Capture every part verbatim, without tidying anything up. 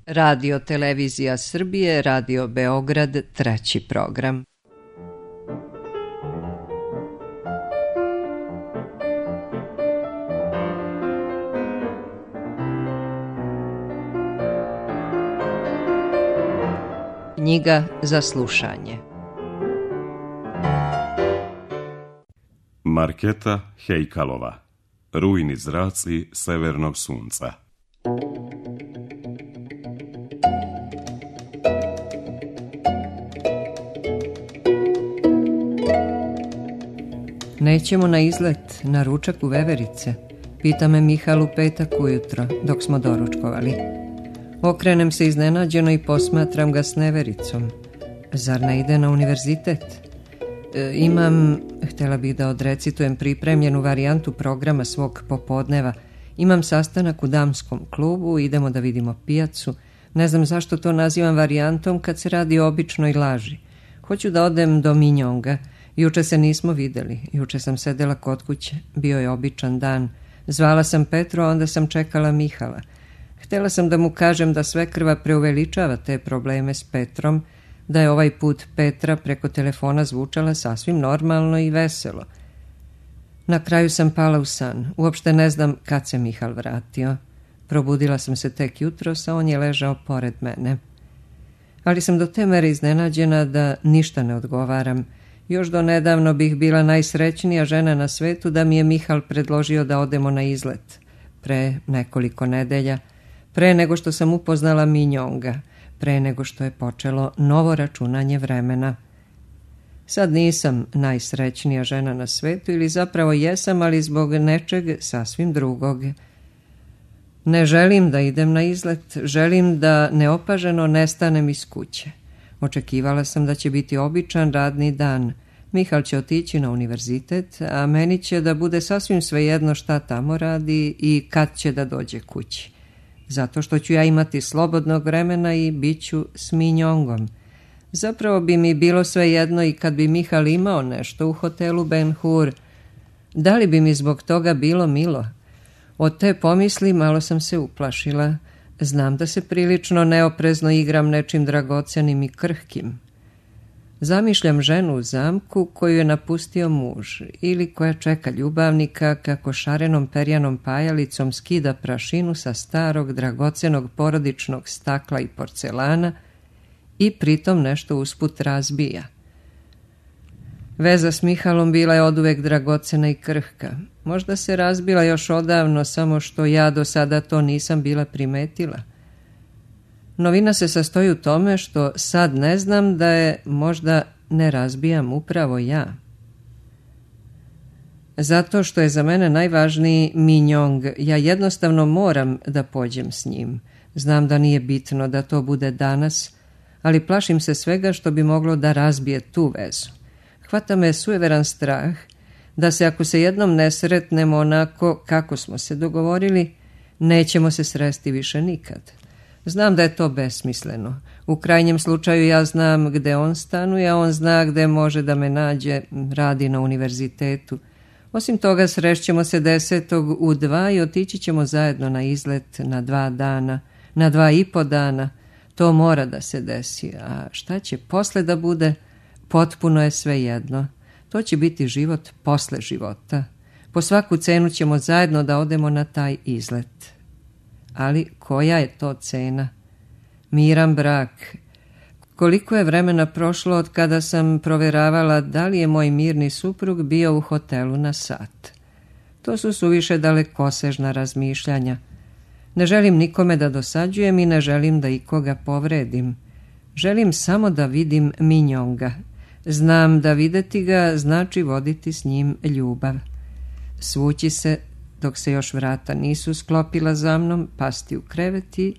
Radio Televizija Srbije, Radio Beograd, treći program. Knjiga za slušanje. Marketa Hejkalova. Rujni zraci severnog sunca. Nećemo na izlet, na ručak u Veverice, pita me Mihal u petak ujutro, dok smo doručkovali. Okrenem se iznenađeno i posmatram ga s nevericom. Zar ne ide na univerzitet? E, imam, htjela bih da odrecitujem pripremljenu varijantu programa svog popodneva. Imam sastanak u damskom klubu, idemo da vidimo pijacu. Ne znam zašto to nazivam varijantom kad se radi o običnoj laži. Hoću da odem do Minjonga. Juče se nismo videli, juče sam sedela kod kuće, bio je običan dan. Zvala sam Petru, a onda sam čekala Mihala. Htjela sam da mu kažem da svekrva preuveličava te probleme s Petrom, da je ovaj put Petra preko telefona zvučala sasvim normalno i veselo. Na kraju sam pala u san, uopšte ne znam kad se Mihal vratio. Probudila sam se tek jutros, a on je ležao pored mene. Ali sam do te mere iznenađena da ništa ne odgovaram. Još do nedavno bih bila najsrećnija žena na svetu da mi je Mihal predložio da odemo na izlet. Pre nekoliko nedelja, pre nego što sam upoznala Minjonga, pre nego što je počelo novo računanje vremena. Sad nisam najsrećnija žena na svetu, ili zapravo jesam, ali zbog nečeg sasvim drugog. Ne želim da idem na izlet, želim da neopaženo nestanem iz kuće. Očekivala sam da će biti običan radni dan. Mihal će otići na univerzitet, a meni će da bude sasvim svejedno šta tamo radi i kad će da dođe kući. Zato što ću ja imati slobodnog vremena i bit ću s Minjongom. Zapravo bi mi bilo svejedno i kad bi Mihal imao nešto u hotelu Ben Hur. Da li bi mi zbog toga bilo milo? Od te pomisli malo sam se uplašila. Znam da se prilično neoprezno igram nečim dragocenim i krhkim. Zamišljam ženu u zamku koju je napustio muž ili koja čeka ljubavnika kako šarenom perjanom pajalicom skida prašinu sa starog dragocenog porodičnog stakla i porcelana i pritom nešto usput razbija. Veza s Mihalom bila je oduvek dragocena i krhka. Možda se razbila još odavno, samo što ja do sada to nisam bila primetila. Novina se sastoji u tome što sad ne znam da je možda ne razbijam upravo ja. Zato što je za mene najvažniji Minjong, ja jednostavno moram da pođem s njim. Znam da nije bitno da to bude danas, ali plašim se svega što bi moglo da razbije tu vezu. Hvata me sujeveran strah da se ako se jednom ne sretnemo onako kako smo se dogovorili, nećemo se sresti više nikad. Znam da je to besmisleno. U krajnjem slučaju ja znam gde on stanuje, a on zna gde može da me nađe, radi na univerzitetu. Osim toga srešćemo se desetog u dva i otići ćemo zajedno na izlet na dva dana, na dva i po dana. To mora da se desi, a šta će posle da bude, potpuno je svejedno. To će biti život posle života. Po svaku cenu ćemo zajedno da odemo na taj izlet. Ali koja je to cena? Miran brak. Koliko je vremena prošlo od kada sam provjeravala da li je moj mirni suprug bio u hotelu na sat. To su suviše dalekosežna razmišljanja. Ne želim nikome da dosađujem i ne želim da ikoga povredim. Želim samo da vidim Minjonga. Znam da videti ga znači voditi s njim ljubav. Svući se dok se još vrata nisu sklopila za mnom, pasti u kreveti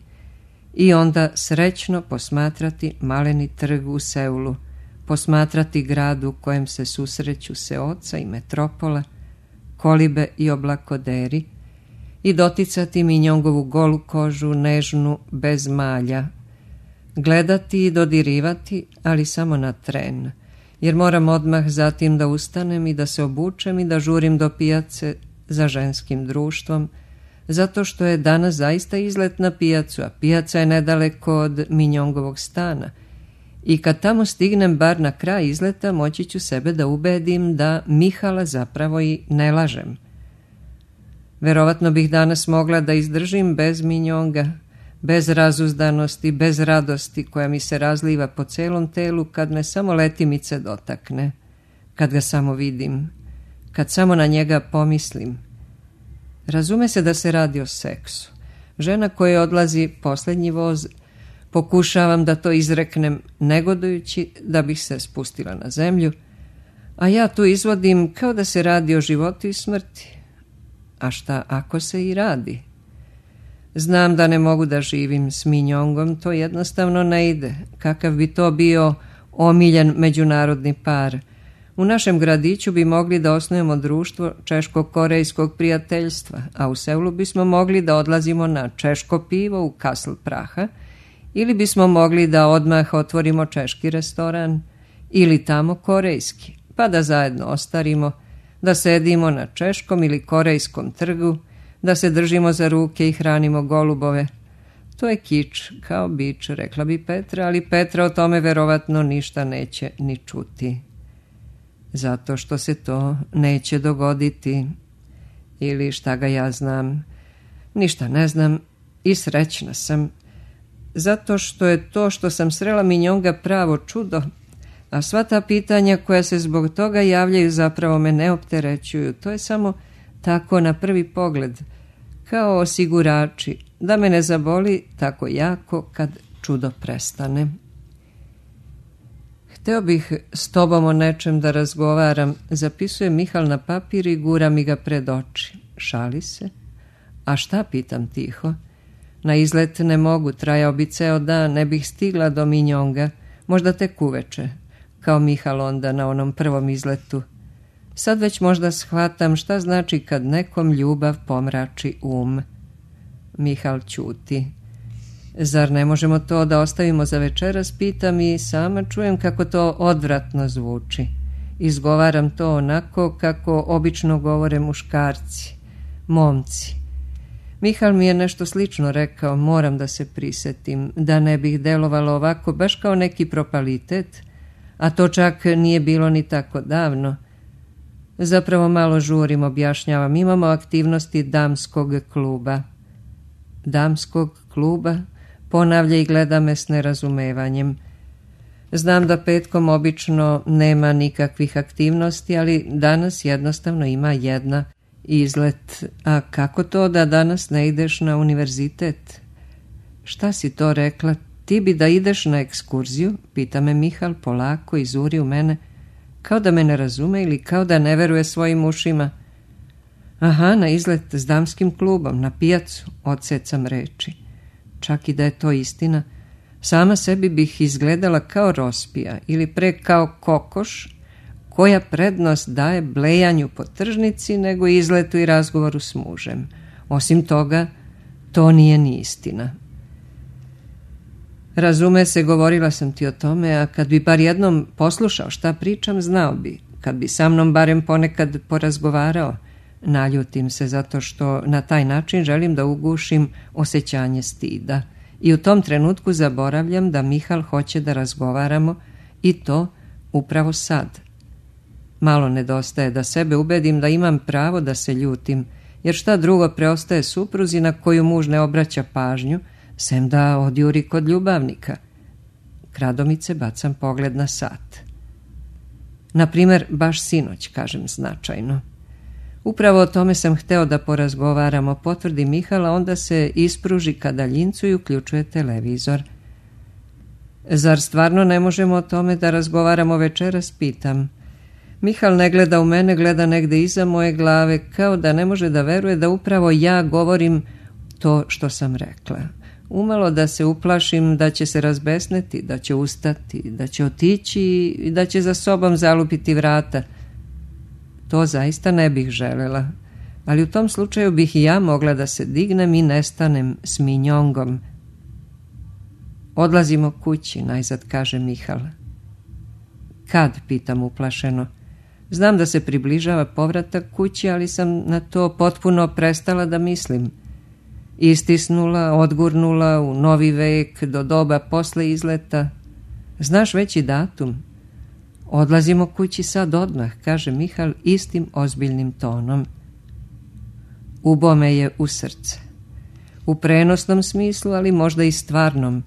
i onda srećno posmatrati maleni trg u Seulu, posmatrati grad u kojem se susreću Seoca i metropola, kolibe i oblakoderi i doticati Minjongovu golu kožu, nežnu, bez malja, gledati i dodirivati, ali samo na tren, jer moram odmah zatim da ustanem i da se obučem i da žurim do pijace za ženskim društvom, zato što je danas zaista izlet na pijacu, a pijaca je nedaleko od Minjongovog stana. I kad tamo stignem bar na kraj izleta, moći ću sebe da ubedim da Mihala zapravo i ne lažem. Verovatno bih danas mogla da izdržim bez Minjonga, bez razuzdanosti, bez radosti koja mi se razliva po celom telu kad me samo letimice dotakne, kad ga samo vidim, kad samo na njega pomislim. Razume se da se radi o seksu. Žena koja odlazi posljednji voz, pokušavam da to izreknem negodujući da bih se spustila na zemlju, a ja tu izvodim kao da se radi o životu i smrti. A šta ako se i radi? Znam da ne mogu da živim s Minjongom, to jednostavno ne ide. Kakav bi to bio omiljen međunarodni par. U našem gradiću bi mogli da osnujemo društvo češko-korejskog prijateljstva, a u Seulu bismo mogli da odlazimo na češko pivo u Kasl Praha, ili bismo mogli da odmah otvorimo češki restoran, ili tamo korejski, pa da zajedno ostarimo, da sedimo na češkom ili korejskom trgu, da se držimo za ruke i hranimo golubove. To je kič, kao bič, rekla bi Petra, ali Petra o tome verovatno ništa neće ni čuti. Zato što se to neće dogoditi. Ili šta ga ja znam. Ništa ne znam i srećna sam. Zato što je to što sam srela Minjonga pravo čudo, a sva ta pitanja koja se zbog toga javljaju zapravo me ne opterećuju. To je samo tako na prvi pogled, kao osigurači, da me ne zaboli tako jako kad čudo prestane. Hteo bih s tobom o nečem da razgovaram, zapisuje Mihal na papir i gura mi ga pred oči. Šali se? A šta, pitam tiho? Na izlet ne mogu, trajao bi ceo dan, ne bih stigla do Minjonga, možda tek uveče, kao Mihal onda na onom prvom izletu. Sad već možda shvatam šta znači kad nekom ljubav pomrači um. Mihal ćuti. Zar ne možemo to da ostavimo za večeras, pitam i sama čujem kako to odvratno zvuči. Izgovaram to onako kako obično govore muškarci, momci. Mihal mi je nešto slično rekao, moram da se prisetim, da ne bih delovalo ovako baš kao neki propalitet, a to čak nije bilo ni tako davno. Zapravo malo žurim, objašnjavam, imamo aktivnosti damskog kluba. Damskog kluba? Ponavlja i gleda me s nerazumevanjem. Znam da petkom obično nema nikakvih aktivnosti, ali danas jednostavno ima jedna izlet. A kako to da danas ne ideš na univerzitet? Šta si to rekla? Ti bi da ideš na ekskurziju? Pita me Mihal polako i zuri u mene, kao da me ne razume ili kao da ne veruje svojim ušima. Aha, na izlet s damskim klubom, na pijacu, odsecam reči. Čak i da je to istina, sama sebi bih izgledala kao rospija ili pre kao kokoš, koja prednost daje blejanju po tržnici nego izletu i razgovoru s mužem. Osim toga, to nije ni istina. Razume se, govorila sam ti o tome, a kad bi bar jednom poslušao šta pričam, znao bi. Kad bi sa mnom barem ponekad porazgovarao, naljutim se zato što na taj način želim da ugušim osjećanje stida. I u tom trenutku zaboravljam da Mihal hoće da razgovaramo i to upravo sad. Malo nedostaje da sebe ubedim da imam pravo da se ljutim, jer šta drugo preostaje supruzi na koju muž ne obraća pažnju, sem da odjuri kod ljubavnika. Kradomice bacam pogled na sat. Naprimer, baš sinoć, kažem značajno. Upravo o tome sam hteo da porazgovaramo, potvrdi Mihala, onda se ispruži ka daljincu i uključuje televizor. Zar stvarno ne možemo o tome da razgovaramo večeras, pitam. Mihal ne gleda u mene, gleda negde iza moje glave, kao da ne može da veruje da upravo ja govorim to što sam rekla. Umalo da se uplašim da će se razbesneti, da će ustati, da će otići i da će za sobom zalupiti vrata. To zaista ne bih želela, ali u tom slučaju bih i ja mogla da se dignem i nestanem s Minjongom. Odlazimo kući, najzad kaže Mihal. Kad, pitam uplašeno. Znam da se približava povratak kući, ali sam na to potpuno prestala da mislim. istisnula, odgurnula u novi vek do doba posle izleta. Znaš već i datum? Odlazimo kući sad odmah, kaže Mihal istim ozbiljnim tonom. Ubo me je u srce. U prenosnom smislu, ali možda i stvarnom.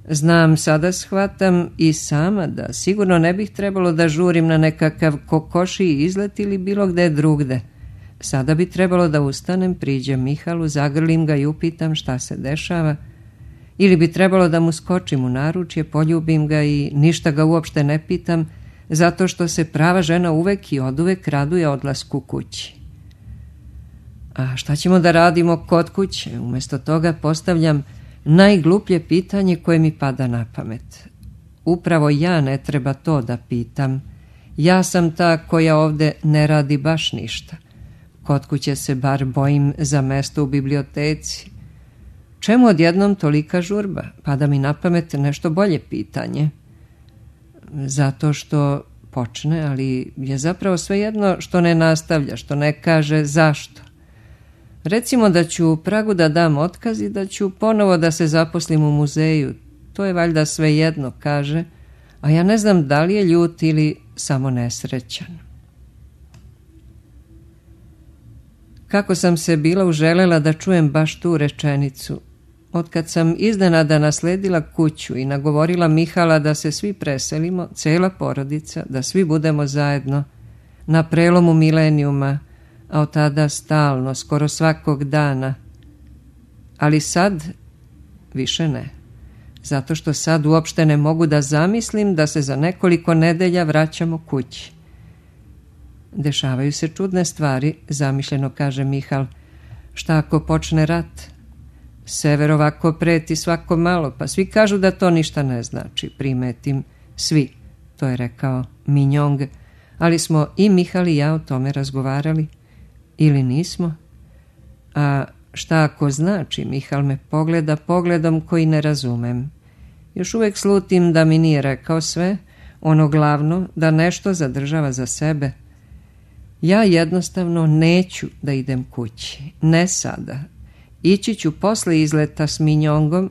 Znam, sada shvatam i sama da sigurno ne bih trebalo da žurim na nekakav kokošiji izlet ili bilo gde drugde. Sada bi trebalo da ustanem, priđem Mihalu, zagrlim ga i upitam šta se dešava, ili bi trebalo da mu skočim u naručje, poljubim ga i ništa ga uopšte ne pitam, zato što se prava žena uvek i oduvek raduje odlasku kući. A šta ćemo da radimo kod kuće? Umjesto toga postavljam najgluplje pitanje koje mi pada na pamet. Upravo ja ne treba to da pitam. Ja sam ta koja ovde ne radi baš ništa. Kod kuće se bar bojim za mesto u biblioteci. Čemu odjednom tolika žurba? Pada mi na pamet nešto bolje pitanje. Zato što počne, ali je zapravo svejedno što ne nastavlja, što ne kaže zašto. Recimo da ću u Pragu da dam otkaz i da ću ponovo da se zaposlim u muzeju. To je valjda svejedno, kaže, a ja ne znam da li je ljut ili samo nesrećan. Kako sam se bila uželela da čujem baš tu rečenicu. Otkad sam iznenada nasledila kuću i nagovorila Mihala da se svi preselimo, cela porodica, da svi budemo zajedno, na prelomu milenijuma, a od tada stalno, skoro svakog dana. Ali sad više ne, zato što sad uopšte ne mogu da zamislim da se za nekoliko nedelja vraćamo kući. Dešavaju se čudne stvari, zamišljeno kaže Mihal. Šta ako počne rat? Sever ovako preti svako malo, pa svi kažu da to ništa ne znači. Primetim, svi, to je rekao Minjong, ali smo i Mihal i ja o tome razgovarali. Ili nismo? A šta ako znači? Mihal me pogleda pogledom koji ne razumem. Još uvek slutim da mi nije rekao sve, ono glavno, da nešto zadržava za sebe. Ja jednostavno neću da idem kući. Ne sada. Ići ću posle izleta s Minjongom,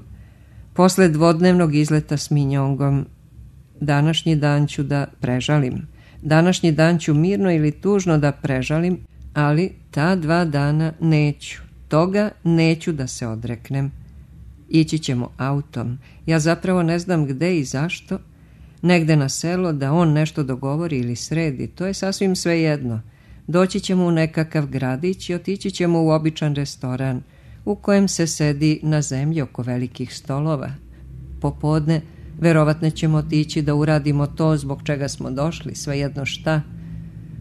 posle dvodnevnog izleta s Minjongom. Današnji dan ću da prežalim. Današnji dan ću mirno ili tužno da prežalim, ali ta dva dana neću. Toga neću da se odreknem. Ići ćemo autom. Ja zapravo ne znam gde i zašto. Negde na selo da on nešto dogovori ili sredi. To je sasvim svejedno. Doći ćemo u nekakav gradić i otići ćemo u običan restoran u kojem se sedi na zemlji oko velikih stolova. Popodne verovatno ćemo otići da uradimo to zbog čega smo došli, svejedno šta.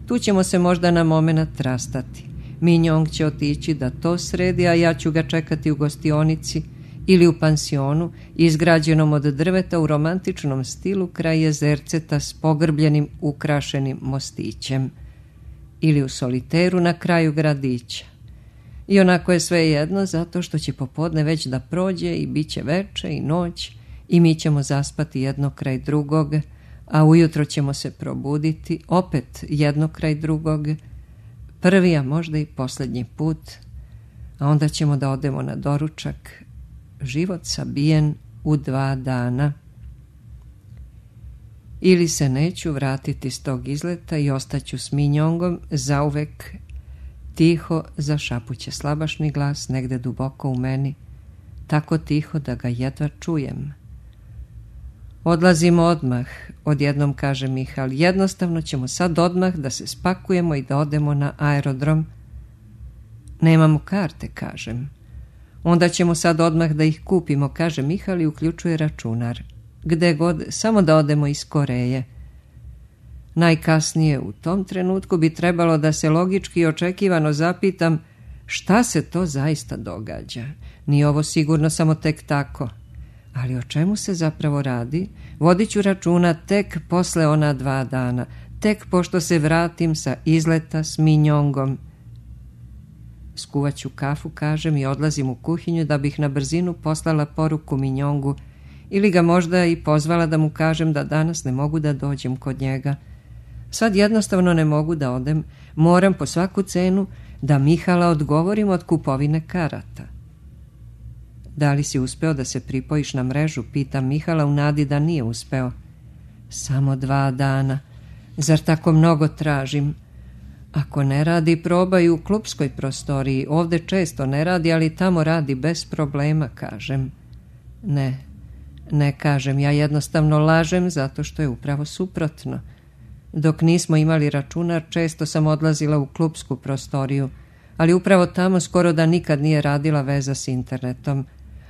Tu ćemo se možda na momenat rastati. Minjong će otići da to sredi, a ja ću ga čekati u gostionici ili u pansionu, izgrađenom od drveta u romantičnom stilu kraj jezerceta s pogrbljenim ukrašenim mostićem. Ili u soliteru na kraju gradića. I onako je sve jedno, zato što će popodne već da prođe i bit će veče i noć i mi ćemo zaspati jedno kraj drugog, a ujutro ćemo se probuditi opet jedno kraj drugog, prvi, a možda i posljednji put, a onda ćemo da odemo na doručak, život sabijen u dva dana. Ili se neću vratiti s tog izleta i ostaću s Minjongom zauvek. Tiho zašapuće slabašni glas negde duboko u meni, tako tiho da ga jedva čujem. Odlazimo odmah, odjednom kaže Mihal, jednostavno ćemo sad odmah da se spakujemo i da odemo na aerodrom. Nemamo karte, kažem. Onda ćemo sad odmah da ih kupimo, kaže Mihal i uključuje računar. Gde god, samo da odemo iz Koreje. Najkasnije u tom trenutku bi trebalo da se logički i očekivano zapitam šta se to zaista događa. Nije ovo sigurno samo tek tako. Ali o čemu se zapravo radi? Vodit ću računa tek posle ona dva dana, tek pošto se vratim sa izleta s Minjongom. Skuvat ću kafu, kažem, i odlazim u kuhinju da bih na brzinu poslala poruku Minjongu ili ga možda i pozvala da mu kažem da danas ne mogu da dođem kod njega. Sad jednostavno ne mogu da odem, moram po svaku cenu da Mihala odgovorim od kupovine karata. Da li si uspeo da se pripojiš na mrežu, pitam Mihala u nadi da nije uspeo. Samo dva dana. Zar tako mnogo tražim? Ako ne radi, probaj u klupskoj prostoriji. Ovde često ne radi, ali tamo radi bez problema, kažem. Ne, ne kažem, ja jednostavno lažem zato što je upravo suprotno. Dok nismo imali računar, često sam odlazila u klupsku prostoriju, ali upravo tamo skoro da nikad nije radila veza s internetom.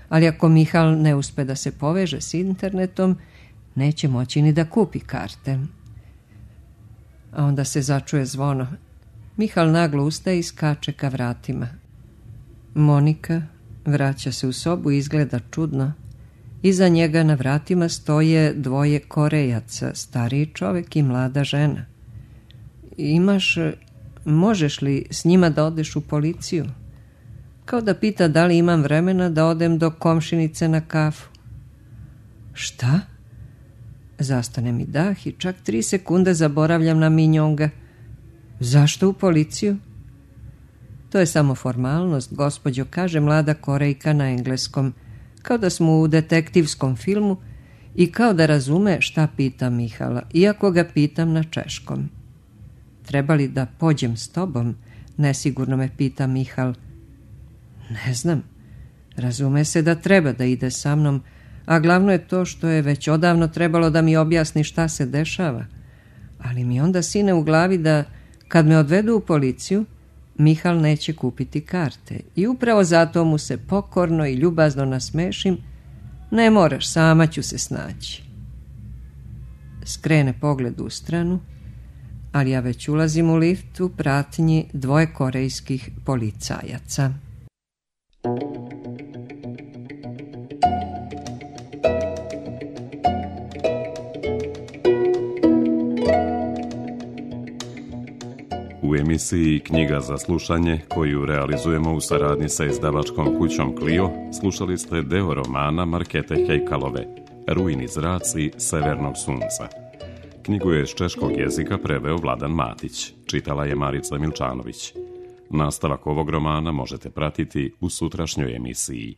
Ali ako Mihal ne uspe da se poveže s internetom, neće moći ni da kupi karte. A onda se začuje zvono. Mihal naglo ustaje i skače ka vratima. Monika vraća se u sobu i izgleda čudno. Iza njega na vratima stoje dvoje Korejaca, stariji čovek i mlada žena. Imaš, možeš li s njima da odeš u policiju? Kao da pita da li imam vremena da odem do komšinice na kafu. Šta? Zastane mi dah i čak tri sekunde zaboravljam na minjonga. Zašto u policiju? To je samo formalnost, gospođo, kaže mlada Korejka na engleskom, kao da smo u detektivskom filmu i kao da razume šta pita Mihala, iako ga pitam na češkom. Treba li da pođem s tobom? Nesigurno me pita Mihal. Ne znam. Razume se da treba da ide sa mnom, a glavno je to što je već odavno trebalo da mi objasni šta se dešava. Ali mi onda sine u glavi da kad me odvedu u policiju, Mihal neće kupiti karte i upravo zato mu se pokorno i ljubazno nasmešim. Ne moraš, sama ću se snaći. Skrene pogled u stranu, ali ja već ulazim u lift u pratnji dvoje korejskih policajaca. U emisiji Knjiga za slušanje, koju realizujemo u saradnji sa izdavačkom kućom Clio, slušali ste deo romana Markete Hejkalove, Rujni zraci severnog sunca. Knjigu je s češkog jezika preveo Vladan Matić, čitala je Marica Milčanović. Nastavak ovog romana možete pratiti u sutrašnjoj emisiji.